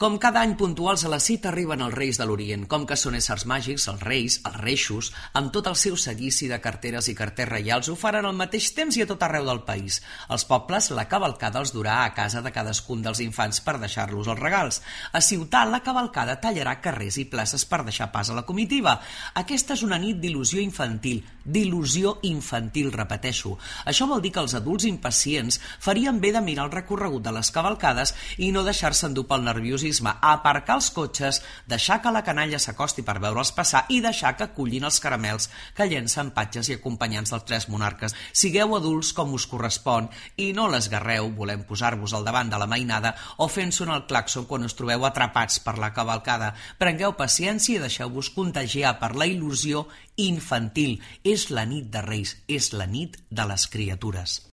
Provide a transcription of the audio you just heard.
Com cada any puntuals a la cita arriben els Reis de l'Orient, com que són éssers màgics, els reis, els reixos, amb tot el seu seguici de carteres i carters reials ho faran al mateix temps i a tot arreu del país. Els pobles, la cavalcada els durà a casa de cadascun dels infants per deixar-los els regals. A Ciutat, la cavalcada tallarà carrers i places per deixar pas a la comitiva. Aquesta és una nit d'il·lusió infantil, repeteixo. Això vol dir que els adults impacients farien bé de mirar el recorregut de les cavalcades i no deixar-se endur pel nerviosisme, aparcar els cotxes, deixar que la canalla s'acosti per veure'ls passar i deixar que cullin els caramels que llencen patges i acompanyants dels tres monarques. Sigueu adults com us correspon i no l'esgarreu volent posar-vos al davant de la mainada o fent sonar el clàxon quan us trobeu atrapats per la cavalcada. Prengueu paciència i deixeu-vos contagiar per la il·lusió infantil. És la nit de Reis, és la nit de les criatures.